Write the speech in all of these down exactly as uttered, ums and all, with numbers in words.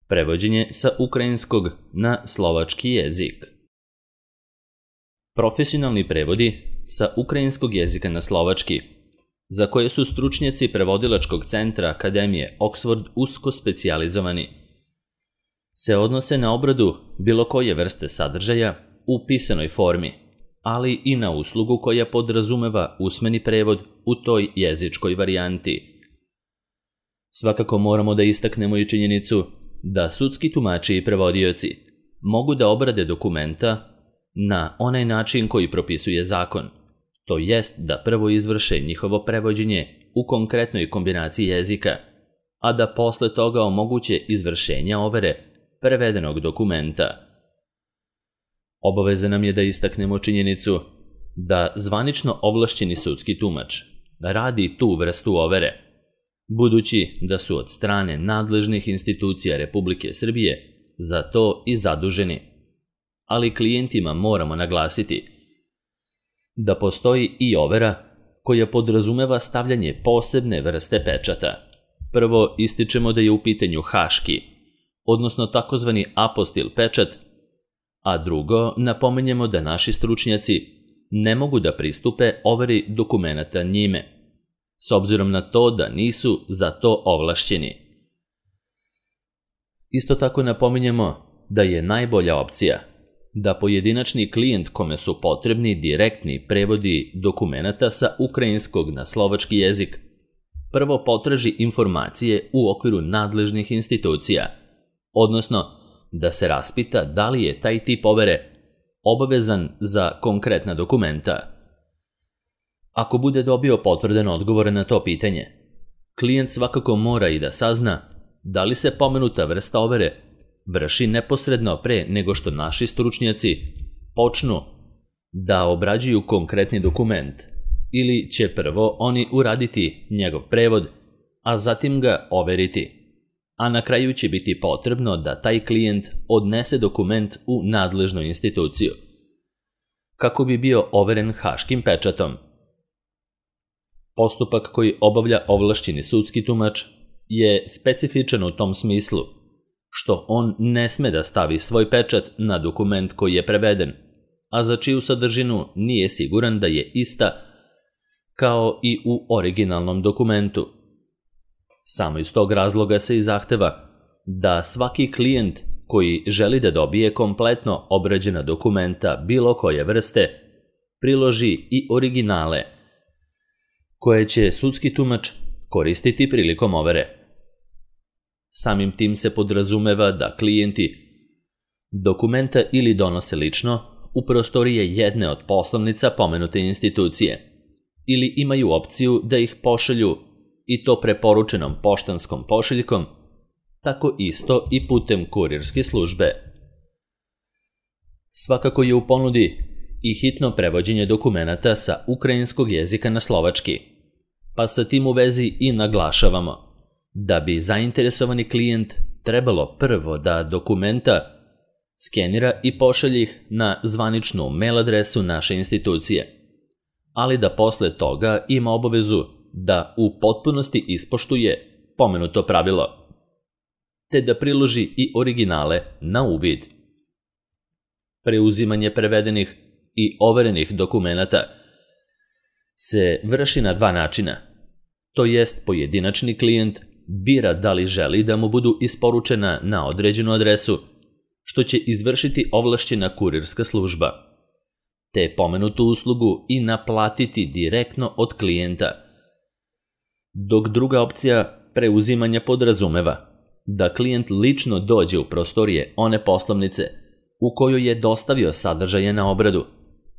Prevođenje sa ukrajinskog na slovački jezik. Profesionalni prevodi sa ukrajinskog jezika na slovački, za koje su stručnjaci prevodilačkog centra Akademije Oxford usko specijalizovani, se odnose na obradu bilo koje vrste sadržaja u pisanoj formi, ali i na uslugu koja podrazumeva usmeni prevod u toj jezičkoj varijanti. Svakako moramo da istaknemo i činjenicu da sudski tumači i prevodioci mogu da obrade dokumenta na onaj način koji propisuje zakon, to jest da prvo izvrše njihovo prevođenje u konkretnoj kombinaciji jezika, a da posle toga omoguće izvršenja overe prevedenog dokumenta. Obaveza nam je da istaknemo činjenicu da zvanično ovlašćeni sudski tumač radi tu vrstu overe, budući da su od strane nadležnih institucija Republike Srbije za to i zaduženi. Ali klijentima moramo naglasiti da postoji i overa koja podrazumeva stavljanje posebne vrste pečata. Prvo ističemo da je u pitanju haški, odnosno takozvani apostil pečat, a drugo napomenjemo da naši stručnjaci ne mogu da pristupe overi dokumenata njime, s obzirom na to da nisu za to ovlašćeni. Isto tako napominjemo da je najbolja opcija da pojedinačni klijent kome su potrebni direktni prevodi dokumenata sa ukrajinskog na slovački jezik prvo potraži informacije u okviru nadležnih institucija, odnosno da se raspita da li je taj tip overe obavezan za konkretna dokumenta. Ako bude dobio potvrden odgovor na to pitanje, klijent svakako mora i da sazna da li se pomenuta vrsta overe vrši neposredno pre nego što naši stručnjaci počnu da obrađuju konkretni dokument, ili će prvo oni uraditi njegov prevod, a zatim ga overiti, a na kraju će biti potrebno da taj klijent odnese dokument u nadležnu instituciju, kako bi bio overen haškim pečatom. Postupak koji obavlja ovlašćeni sudski tumač je specifičan u tom smislu, što on ne sme da stavi svoj pečat na dokument koji je preveden, a za čiju sadržinu nije siguran da je ista kao i u originalnom dokumentu. Samo iz tog razloga se i zahteva da svaki klijent koji želi da dobije kompletno obrađena dokumenta bilo koje vrste priloži i originale koje će sudski tumač koristiti prilikom overe. Samim tim se podrazumeva da klijenti dokumenta ili donose lično u prostorije jedne od poslovnica pomenute institucije, ili imaju opciju da ih pošalju i to preporučenom poštanskom pošiljkom, tako isto i putem kurirske službe. Svakako je u ponudi i hitno prevođenje dokumenata sa ukrajinskog jezika na slovački, pa sa tim u vezi i naglašavamo da bi zainteresovani klijent trebalo prvo da dokumenta skenira i pošalje ih na zvaničnu mail adresu naše institucije, ali da posle toga ima obavezu da u potpunosti ispoštuje pomenuto pravilo, te da priloži i originale na uvid. Preuzimanje prevedenih i overenih dokumenata se vrši na dva načina, to jest pojedinačni klijent bira da li želi da mu budu isporučena na određenu adresu, što će izvršiti ovlašćena kurirska služba, te pomenutu uslugu i naplatiti direktno od klijenta. Dok druga opcija preuzimanja podrazumeva da klijent lično dođe u prostorije one poslovnice u kojoj je dostavio sadržaje na obradu,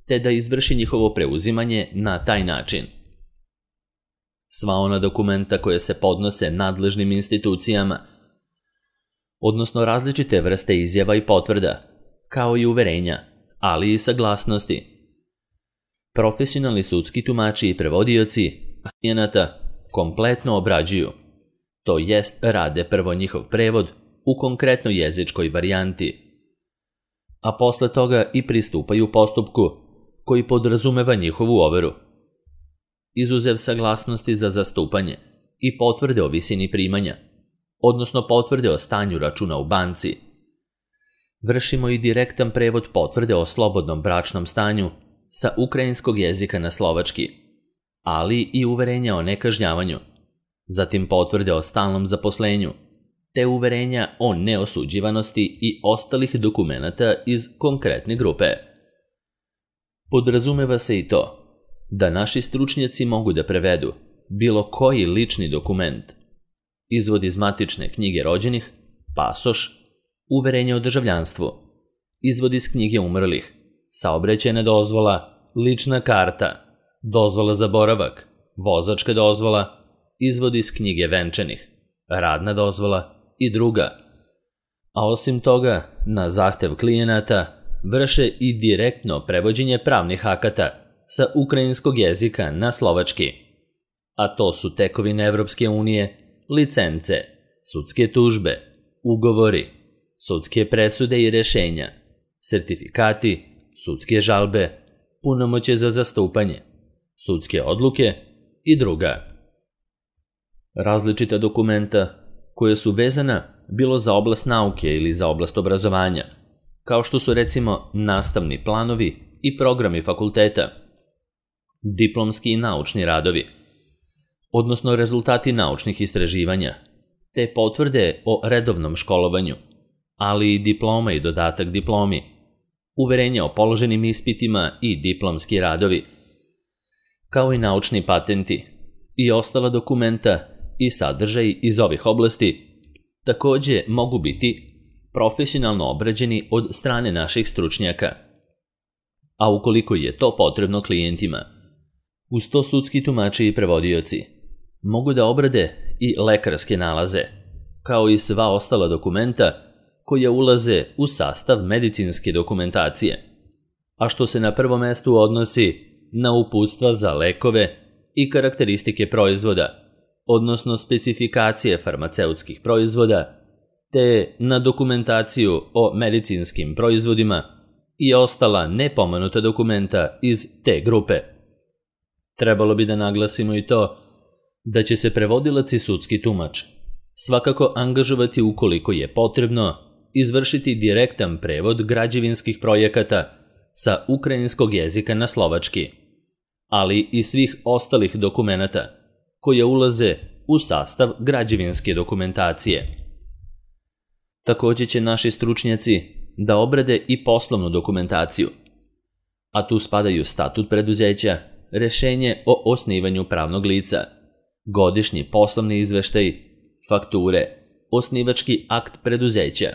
te da izvrši njihovo preuzimanje na taj način. Sva ona dokumenta koje se podnose nadležnim institucijama, odnosno različite vrste izjava i potvrda, kao i uverenja, ali i saglasnosti. Profesionalni sudski tumači i prevodioci klijenata kompletno obrađuju, to jest rade prvo njihov prevod u konkretnoj jezičkoj varijanti, a posle toga i pristupaju postupku koji podrazumeva njihovu overu. Izuzev saglasnosti za zastupanje i potvrde o visini primanja, odnosno potvrde o stanju računa u banci. Vršimo i direktan prevod potvrde o slobodnom bračnom stanju sa ukrajinskog jezika na slovački, ali i uverenja o nekažnjavanju, zatim potvrde o stalnom zaposlenju, te uverenja o neosuđivanosti i ostalih dokumenata iz konkretne grupe. Podrazumeva se i to da naši stručnjaci mogu da prevedu bilo koji lični dokument, izvod iz matične knjige rođenih, pasoš, uverenje o državljanstvu, izvod iz knjige umrlih, saobraćajna dozvola, lična karta, dozvola za boravak, vozačka dozvola, izvod iz knjige venčanih, radna dozvola i druga. A osim toga, na zahtev klijenata vrše i direktno prevođenje pravnih akata sa ukrajinskog jezika na slovački, a to su tekovine Evropske unije, licence, sudske tužbe, ugovori, sudske presude i rešenja, sertifikati, sudske žalbe, punomoćje za zastupanje, sudske odluke i druga. Različita dokumenta koje su vezana bilo za oblast nauke ili za oblast obrazovanja, kao što su recimo nastavni planovi i programi fakulteta, diplomski i naučni radovi, odnosno rezultati naučnih istraživanja, te potvrde o redovnom školovanju, ali i diploma i dodatak diplomi, uverenja o položenim ispitima i diplomski radovi, kao i naučni patenti i ostala dokumenta i sadržaji iz ovih oblasti takođe mogu biti profesionalno obrađeni od strane naših stručnjaka, a ukoliko je to potrebno klijentima, uz to sudski tumači i prevodioci mogu da obrade i lekarske nalaze, kao i sva ostala dokumenta koja ulaze u sastav medicinske dokumentacije, a što se na prvom mestu odnosi na uputstva za lekove i karakteristike proizvoda, odnosno specifikacije farmaceutskih proizvoda, te na dokumentaciju o medicinskim proizvodima i ostala nepomenuta dokumenta iz te grupe. Trebalo bi da naglasimo i to da će se prevodilac i sudski tumač svakako angažovati ukoliko je potrebno izvršiti direktan prevod građevinskih projekata sa ukrajinskog jezika na slovački, ali i svih ostalih dokumenata koje ulaze u sastav građevinske dokumentacije. Takođe će naši stručnjaci da obrade i poslovnu dokumentaciju, a tu spadaju statut preduzeća, rešenje o osnivanju pravnog lica, godišnji poslovni izveštaj, fakture, osnivački akt preduzeća,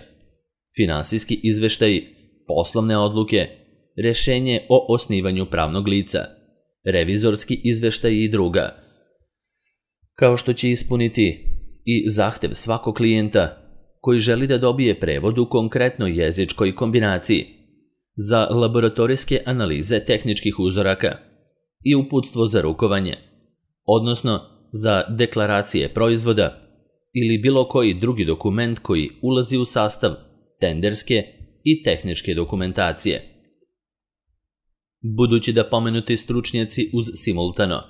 finansijski izveštaj, poslovne odluke, rešenje o osnivanju pravnog lica, revizorski izveštaj i druga, kao što će ispuniti i zahtev svakog klijenta koji želi da dobije prevod u konkretnoj jezičkoj kombinaciji za laboratorijske analize tehničkih uzoraka i uputstvo za rukovanje, odnosno za deklaracije proizvoda ili bilo koji drugi dokument koji ulazi u sastav tenderske i tehničke dokumentacije. Budući da pomenuti stručnjaci uz simultano,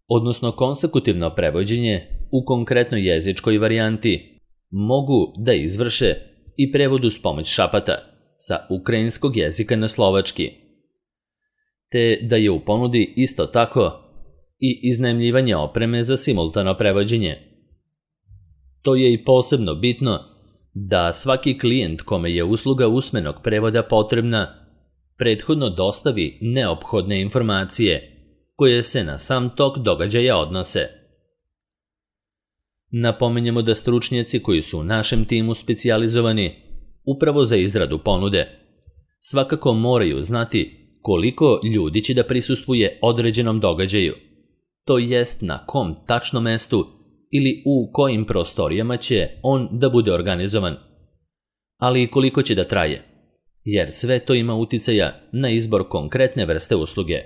odnosno konsekutivno prevođenje u konkretnoj jezičkoj varijanti, mogu da izvrše i prevod uz pomoć šapata sa ukrajinskog jezika na slovački, te da je u ponudi isto tako i iznajmljivanje opreme za simultano prevođenje. To je i posebno bitno da svaki klijent kome je usluga usmenog prevoda potrebna prethodno dostavi neophodne informacije koje se na sam tok događaja odnose. Napominjemo da stručnjaci koji su u našem timu specijalizovani upravo za izradu ponude svakako moraju znati koliko ljudi će da prisustvuje određenom događaju, to jest na kom tačno mestu ili u kojim prostorijama će on da bude organizovan, ali i koliko će da traje, jer sve to ima uticaja na izbor konkretne vrste usluge.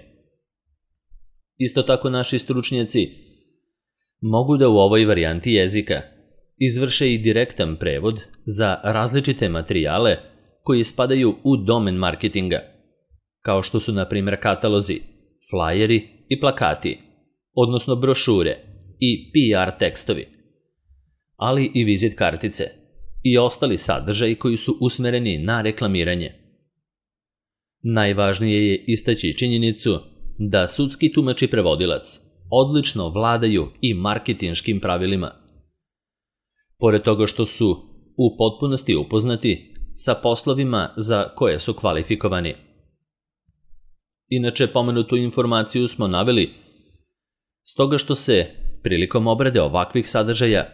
Isto tako naši stručnjaci mogu da u ovoj varijanti jezika izvrše i direktan prevod za različite materijale koji spadaju u domen marketinga, kao što su na primjer katalozi, flajeri i plakati, odnosno brošure i P R tekstovi. ali i vizit kartice i ostali sadržaji koji su usmereni na reklamiranje. Najvažnije je istaći činjenicu da sudski tumač i prevodilac odlično vladaju i marketinškim pravilima. Pored toga što su u potpunosti upoznati sa poslovima za koje su kvalifikovani. Inače, pomenutu informaciju smo naveli stoga što se, prilikom obrade ovakvih sadržaja,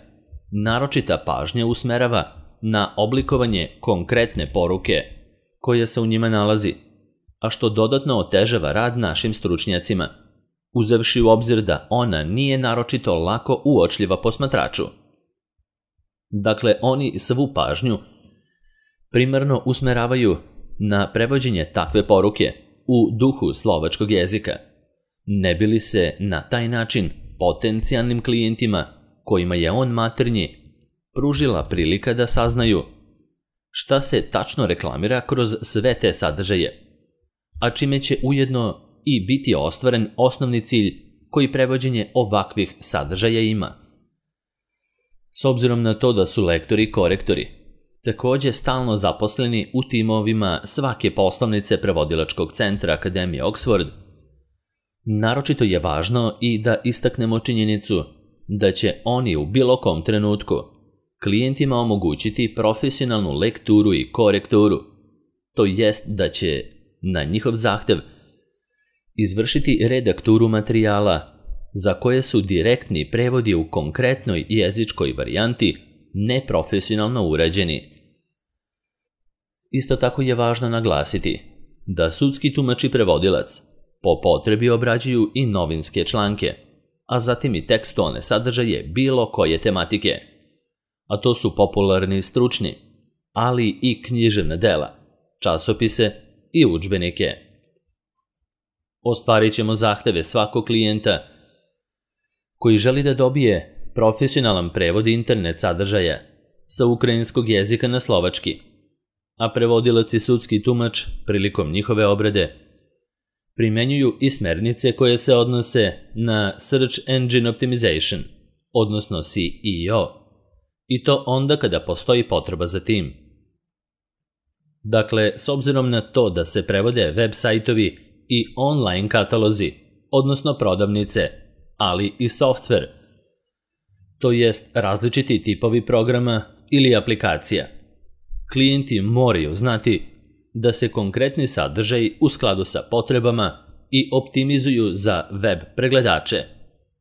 naročita pažnja usmerava na oblikovanje konkretne poruke koja se u njima nalazi, a što dodatno otežava rad našim stručnjacima, uzevši u obzir da ona nije naročito lako uočljiva posmatraču. Dakle, oni svu pažnju primarno usmeravaju na prevođenje takve poruke u duhu slovačkog jezika, ne bi li se na taj način potencijalnim klijentima kojima je on maternji pružila prilika da saznaju šta se tačno reklamira kroz sve te sadržaje, a čime će ujedno i biti ostvaren osnovni cilj koji prevođenje ovakvih sadržaja ima. S obzirom na to da su lektori i korektori također stalno zaposleni u timovima svake poslovnice prevodilačkog centra Akademije Oxford, naročito je važno i da istaknemo činjenicu da će oni u bilo kom trenutku klijentima omogućiti profesionalnu lekturu i korekturu, to jest da će na njihov zahtev izvršiti redakturu materijala za koje su direktni prevodi u konkretnoj jezičkoj varijanti neprofesionalno urađeni. Isto tako je važno naglasiti da sudski tumač i prevodilac po potrebi obrađuju i novinske članke, a zatim i tekstualne sadržaje bilo koje tematike, a to su popularni i stručni, ali i književna dela, časopise i udžbenike. Ostvarit ćemo zahteve svakog klijenta koji želi da dobije profesionalan prevod internet sadržaja sa ukrajinskog jezika na slovački, a prevodilac i sudski tumač prilikom njihove obrade primenjuju i smernice koje se odnose na Search Engine Optimization, odnosno S E O, i to onda kada postoji potreba za tim. Dakle, s obzirom na to da se prevode web sajtovi i online katalozi, odnosno prodavnice, ali i softver, to jest različiti tipovi programa ili aplikacija, klijenti moraju znati da se konkretni sadržaj u skladu sa potrebama i optimizuju za web pregledače,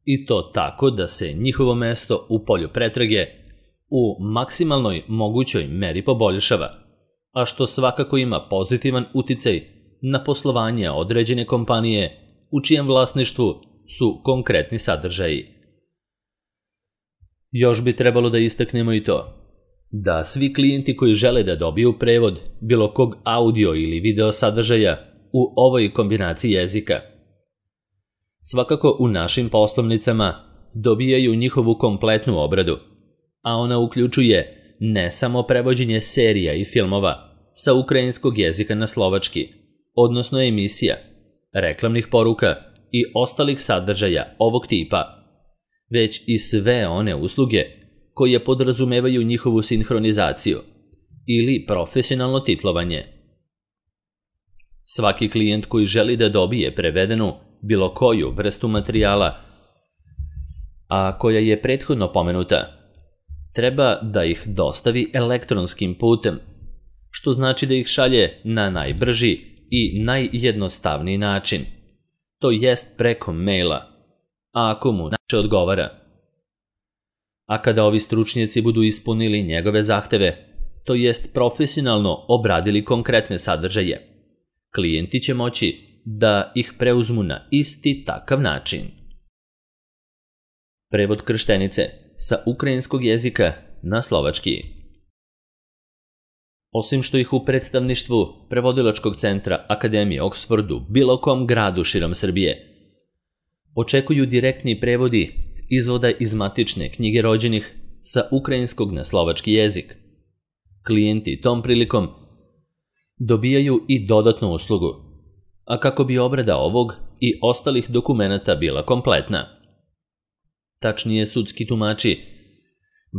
i to tako da se njihovo mesto u polju pretrage u maksimalnoj mogućoj meri poboljšava, a što svakako ima pozitivan uticaj na poslovanje određene kompanije u čijem vlasništvu su konkretni sadržaji. Još bi trebalo da istaknemo i to da svi klijenti koji žele da dobiju prevod bilo kog audio ili video sadržaja u ovoj kombinaciji jezika, svakako u našim poslovnicama dobijaju njihovu kompletnu obradu, a ona uključuje ne samo prevođenje serija i filmova sa ukrajinskog jezika na slovački, odnosno emisija, reklamnih poruka i ostalih sadržaja ovog tipa, već i sve one usluge koje podrazumevaju njihovu sinhronizaciju ili profesionalno titlovanje. Svaki klijent koji želi da dobije prevedenu bilo koju vrstu materijala, a koja je prethodno pomenuta, treba da ih dostavi elektronskim putem, što znači da ih šalje na najbrži i najjednostavniji način, to jest preko maila, a ako mu način odgovara. A kada ovi stručnjaci budu ispunili njegove zahteve, to jest profesionalno obradili konkretne sadržaje, klijenti će moći da ih preuzmu na isti takav način. Prevod krštenice sa ukrajinskog jezika na slovački. Osim što ih u predstavništvu prevodilačkog centra Akademije Oxfordu bilo kom gradu širom Srbije očekuju direktni prevodi izvoda iz matične knjige rođenih sa ukrajinskog na slovački jezik, klijenti tom prilikom dobijaju i dodatnu uslugu, a kako bi obrada ovog i ostalih dokumenata bila kompletna. Tačnije, sudski tumači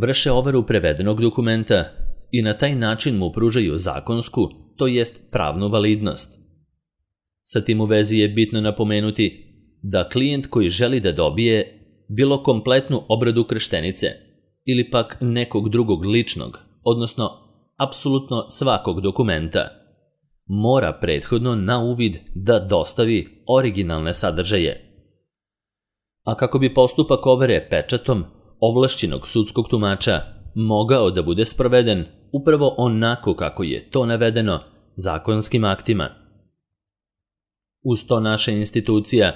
vrše overu prevedenog dokumenta i na taj način mu pružaju zakonsku, to jest pravnu validnost. Sa tim u vezi je bitno napomenuti da klijent koji želi da dobije bilo kompletnu obradu krštenice ili pak nekog drugog ličnog, odnosno apsolutno svakog dokumenta, mora prethodno na uvid da dostavi originalne sadržaje. A kako bi postupak overe pečatom ovlašćenog sudskog tumača mogao da bude sproveden upravo onako kako je to navedeno zakonskim aktima. Uz to naša institucija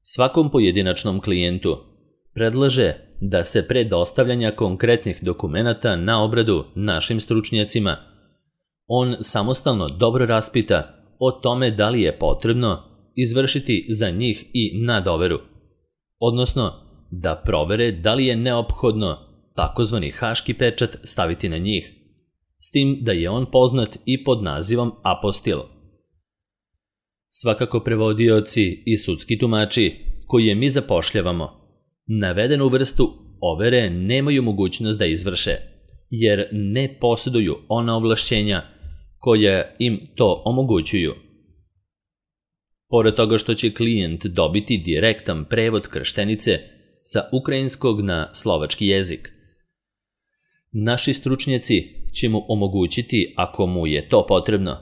svakom pojedinačnom klijentu predlaže da se pre dostavljanja konkretnih dokumenata na obradu našim stručnjacima on samostalno dobro raspita o tome da li je potrebno izvršiti za njih i nadoveru, odnosno da provere da li je neophodno takozvani haški pečat staviti na njih, s tim da je on poznat i pod nazivom apostil. Svakako prevodioci i sudski tumači koje mi zapošljavamo navedenu vrstu overe nemaju mogućnost da izvrše, jer ne posjeduju ona ovlašćenja koja im to omogućuju. Pored toga što će klijent dobiti direktan prevod krštenice sa ukrajinskog na slovački jezik, naši stručnjaci će mu omogućiti, ako mu je to potrebno,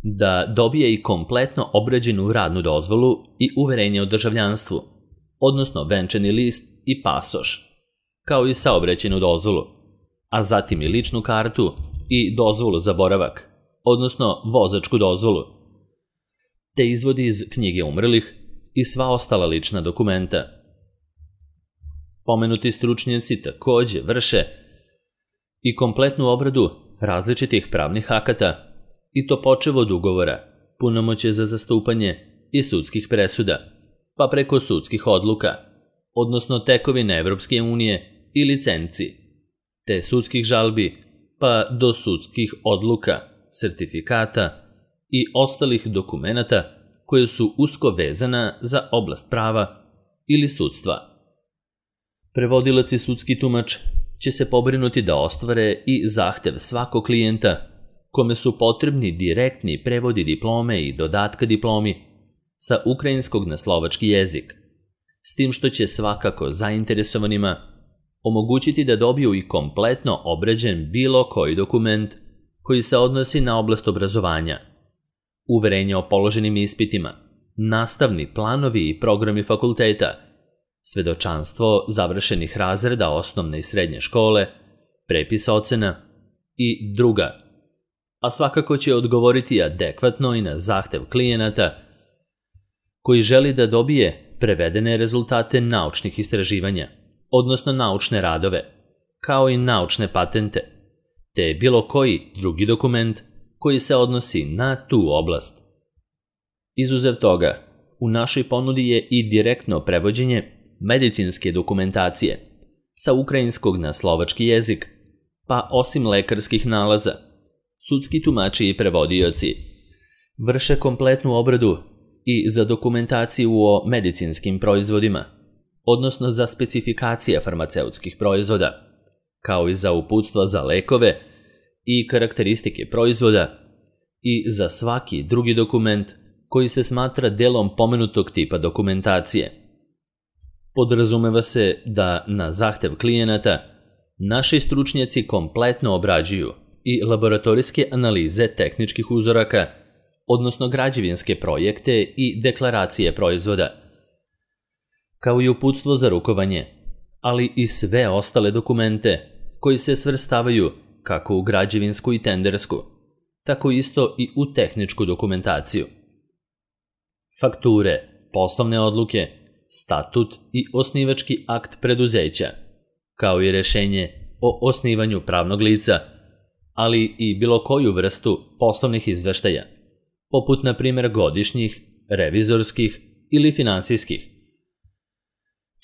da dobije i kompletno obrađenu radnu dozvolu i uverenje o državljanstvu, odnosno venčani list i pasoš, kao i saobraćajnu dozvolu, a zatim i ličnu kartu i dozvolu za boravak, odnosno vozačku dozvolu, te izvodi iz knjige umrlih i sva ostala lična dokumenta. Pomenuti stručnjaci takođe vrše i kompletnu obradu različitih pravnih akata, i to počev od ugovora, punomoćje za zastupanje i sudskih presuda, pa preko sudskih odluka, odnosno tekovine Evropske unije i licenci, te sudskih žalbi, pa do sudskih odluka, sertifikata i ostalih dokumenata koje su usko vezana za oblast prava ili sudstva. Prevodilac i sudski tumač će se pobrinuti da ostvare i zahtev svakog klijenta kome su potrebni direktni prevodi diplome i dodatka diplomi sa ukrajinskog na slovački jezik, s tim što će svakako zainteresovanima omogućiti da dobiju i kompletno obrađen bilo koji dokument koji se odnosi na oblast obrazovanja, uverenje o položenim ispitima, nastavni planovi i programi fakulteta, svedočanstvo završenih razreda osnovne i srednje škole, prepis ocena i druga, a svakako će odgovoriti adekvatno i na zahtev klijenata koji želi da dobije prevedene rezultate naučnih istraživanja, odnosno naučne radove, kao i naučne patente, te bilo koji drugi dokument koji se odnosi na tu oblast. Izuzev toga, u našoj ponudi je i direktno prevođenje medicinske dokumentacije sa ukrajinskog na slovački jezik, pa osim lekarskih nalaza, sudski tumači i prevodioci vrše kompletnu obradu i za dokumentaciju o medicinskim proizvodima, odnosno za specifikacije farmaceutskih proizvoda, kao i za uputstva za lekove i karakteristike proizvoda i za svaki drugi dokument koji se smatra delom pomenutog tipa dokumentacije. Podrazumeva se da na zahtev klijenata naši stručnjaci kompletno obrađuju i laboratorijske analize tehničkih uzoraka, odnosno građevinske projekte i deklaracije proizvoda, kao i uputstvo za rukovanje, ali i sve ostale dokumente koji se svrstavaju kako u građevinsku i tendersku, tako isto i u tehničku dokumentaciju. Fakture, poslovne odluke, statut i osnivački akt preduzeća, kao i rešenje o osnivanju pravnog lica, ali i bilo koju vrstu poslovnih izveštaja, poput na primjer godišnjih, revizorskih ili finansijskih,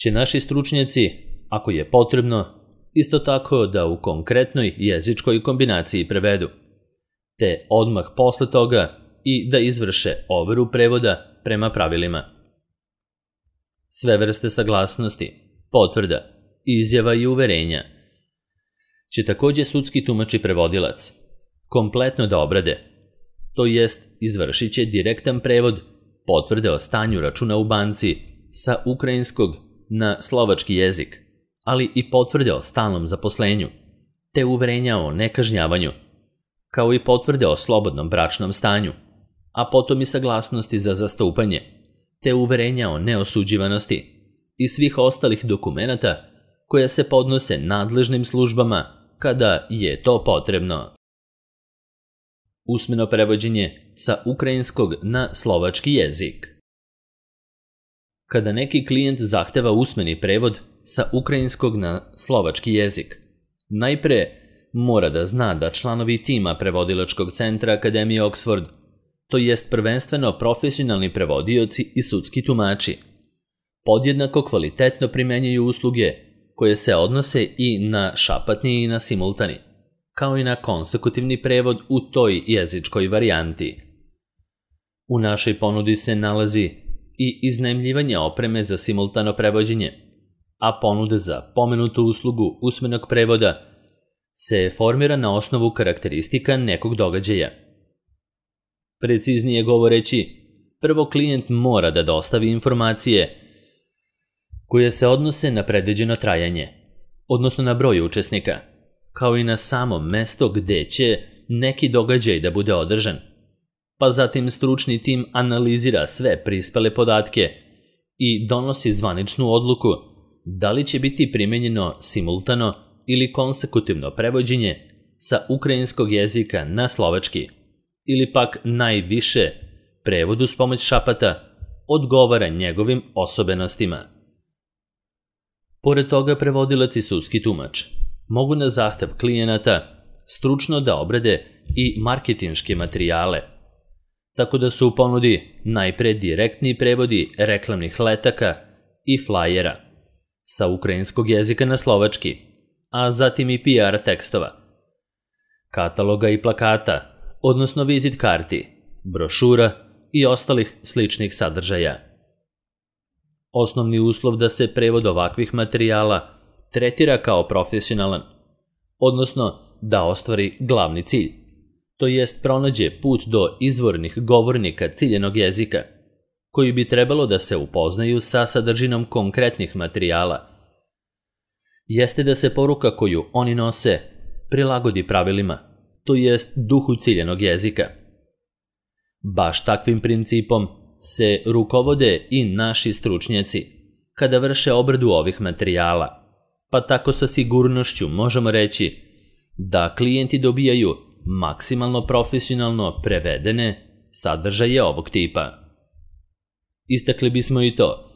će naši stručnjaci, ako je potrebno, isto tako da u konkretnoj jezičkoj kombinaciji prevedu, te odmah posle toga i da izvrše overu prevoda prema pravilima. Sve vrste saglasnosti, potvrda, izjava i uverenja će također sudski tumač i prevodilac kompletno da obrade, to jest izvršit će direktan prevod potvrde o stanju računa u banci sa ukrajinskog na slovački jezik, ali i potvrde o stalnom zaposlenju, te uverenja o nekažnjavanju, kao i potvrde o slobodnom bračnom stanju, a potom i saglasnosti za zastupanje, te uverenja o neosuđivanosti i svih ostalih dokumenata koja se podnose nadležnim službama kada je to potrebno. Usmeno prevođenje sa ukrajinskog na slovački jezik. Kada neki klijent zahteva usmeni prevod sa ukrajinskog na slovački jezik, najpre mora da zna da članovi tima prevodilačkog centra Akademije Oxford, to jest prvenstveno profesionalni prevodioci i sudski tumači, podjednako kvalitetno primenjuju usluge koje se odnose i na šapatni i na simultani, kao i na konsekutivni prevod u toj jezičkoj varijanti. U našoj ponudi se nalazi i iznajmljivanje opreme za simultano prevođenje, a ponuda za pomenutu uslugu usmenog prevoda se formira na osnovu karakteristika nekog događaja. Preciznije govoreći, prvo klijent mora da dostavi informacije koje se odnose na predviđeno trajanje, odnosno na broj učesnika, kao i na samo mesto gde će neki događaj da bude održan, pa zatim stručni tim analizira sve prispele podatke i donosi zvaničnu odluku da li će biti primenjeno simultano ili konsekutivno prevođenje sa ukrajinskog jezika na slovački, ili pak najviše prevod uz pomoć šapata odgovara njegovim osobenostima. Pored toga, prevodilac i sudski tumač mogu na zahtev klijenata stručno da obrade i marketinške materijale, tako da su u ponudi najpre direktni prevodi reklamnih letaka i flajera sa ukrajinskog jezika na slovački, a zatim i P R tekstova, kataloga i plakata, odnosno vizit karti, brošura i ostalih sličnih sadržaja. Osnovni uslov da se prevod ovakvih materijala tretira kao profesionalan, odnosno da ostvari glavni cilj, to jest pronađe put do izvornih govornika ciljenog jezika, koji bi trebalo da se upoznaju sa sadržinom konkretnih materijala, jeste da se poruka koju oni nose prilagodi pravilima, to jest duhu ciljenog jezika. Baš takvim principom se rukovode i naši stručnjaci kada vrše obradu ovih materijala, pa tako sa sigurnošću možemo reći da klijenti dobijaju maksimalno profesionalno prevedene sadržaje ovog tipa. Istakli bismo i to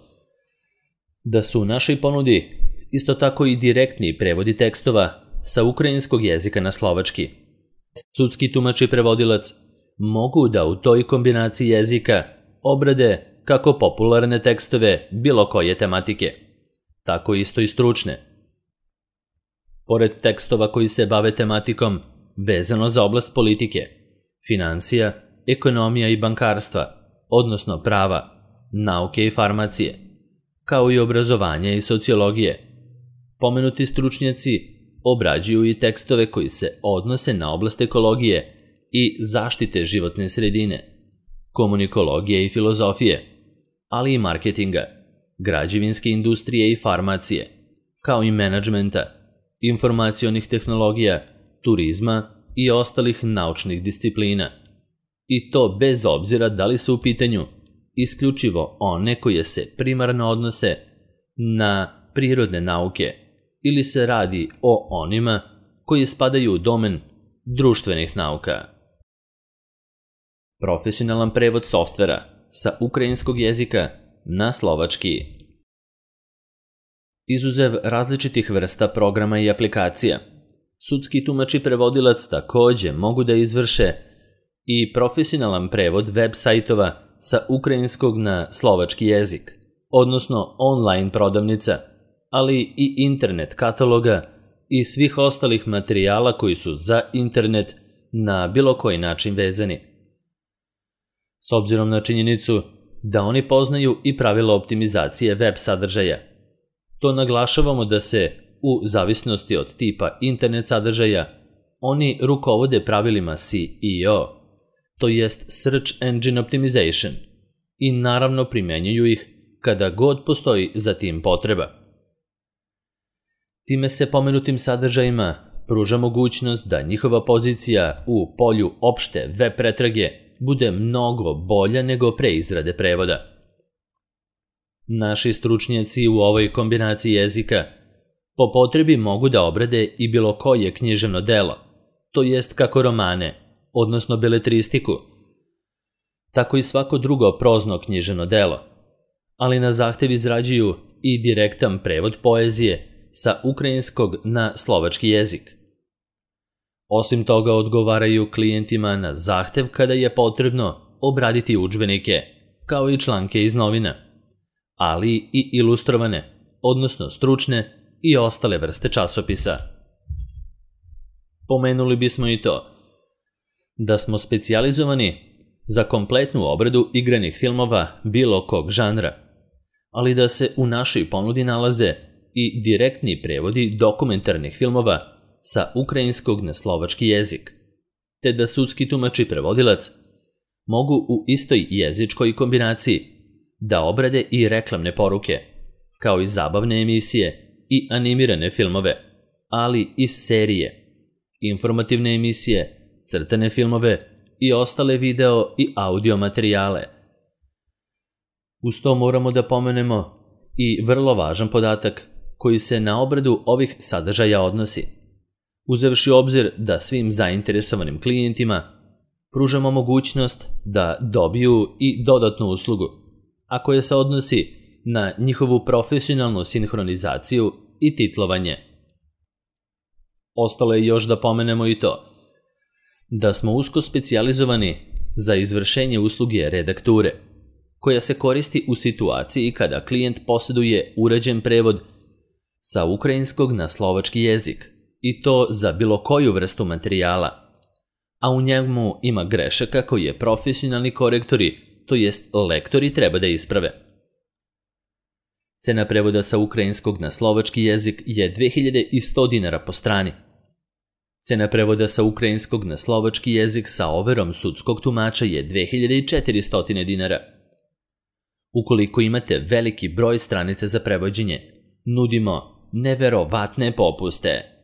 da su u našoj ponudi isto tako i direktni prevodi tekstova sa ukrajinskog jezika na slovački. Sudski tumač i prevodilac mogu da u toj kombinaciji jezika obrade kako popularne tekstove bilo koje tematike, tako isto i stručne. Pored tekstova koji se bave tematikom vezano za oblast politike, financija, ekonomija i bankarstva, odnosno prava, nauke i farmacije, kao i obrazovanja i sociologije, pomenuti stručnjaci obrađuju i tekstove koji se odnose na oblast ekologije i zaštite životne sredine, komunikologije i filozofije, ali i marketinga, građevinske industrije i farmacije, kao i menadžmenta, informacionih tehnologija, turizma i ostalih naučnih disciplina. I to bez obzira da li su u pitanju isključivo one koje se primarno odnose na prirodne nauke ili se radi o onima koji spadaju u domen društvenih nauka. Profesionalan prevod softvera sa ukrajinskog jezika na slovački. Izuzev različitih vrsta programa i aplikacija, sudski tumač i prevodilac također mogu da izvrše i profesionalan prevod web sajtova sa ukrajinskog na slovački jezik, odnosno online prodavnica, ali i internet kataloga i svih ostalih materijala koji su za internet na bilo koji način vezani. S obzirom na činjenicu da oni poznaju i pravila optimizacije web sadržaja, to naglašavamo da se u zavisnosti od tipa internet sadržaja, oni rukovode pravilima S E O, to jest Search Engine Optimization, i naravno primjenjuju ih kada god postoji za tim potreba. Time se pomenutim sadržajima pruža mogućnost da njihova pozicija u polju opšte web pretrage bude mnogo bolja nego pre izrade prevoda. Naši stručnjaci u ovoj kombinaciji jezika po potrebi mogu da obrade i bilo koje književno delo, to jest kako romane, odnosno beletristiku, tako i svako drugo prozno književno delo, ali na zahtev izrađuju i direktan prevod poezije sa ukrajinskog na slovački jezik. Osim toga odgovaraju klijentima na zahtev kada je potrebno obraditi udžbenike, kao i članke iz novina, ali i ilustrovane, odnosno stručne i ostale vrste časopisa. Pomenuli bismo i to da smo specijalizovani za kompletnu obradu igranih filmova bilo kog žanra, ali da se u našoj ponudi nalaze i direktni prevodi dokumentarnih filmova sa ukrajinskog na slovački jezik, te da sudski tumač i prevodilac mogu u istoj jezičkoj kombinaciji da obrade i reklamne poruke, kao i zabavne emisije i animirane filmove, ali i serije, informativne emisije, crtane filmove i ostale video i audio materijale. Uz to moramo da pomenemo i vrlo važan podatak koji se na obradu ovih sadržaja odnosi, uzevši u obzir da svim zainteresovanim klijentima pružamo mogućnost da dobiju i dodatnu uslugu, a koja se odnosi na njihovu profesionalnu sinhronizaciju i titlovanje. Ostalo je još da pomenemo i to da smo usko specijalizovani za izvršenje usluge redakture, koja se koristi u situaciji kada klijent posjeduje uređen prevod sa ukrajinskog na slovački jezik, i to za bilo koju vrstu materijala, a u njemu ima grešaka koje profesionalni korektori, to jest lektori, treba da isprave. Cena prevoda sa ukrajinskog na slovački jezik je dve hiljade sto dinara po strani. Cena prevoda sa ukrajinskog na slovački jezik sa overom sudskog tumača je dve hiljade četiristo dinara. Ukoliko imate veliki broj stranica za prevođenje, nudimo neverovatne popuste.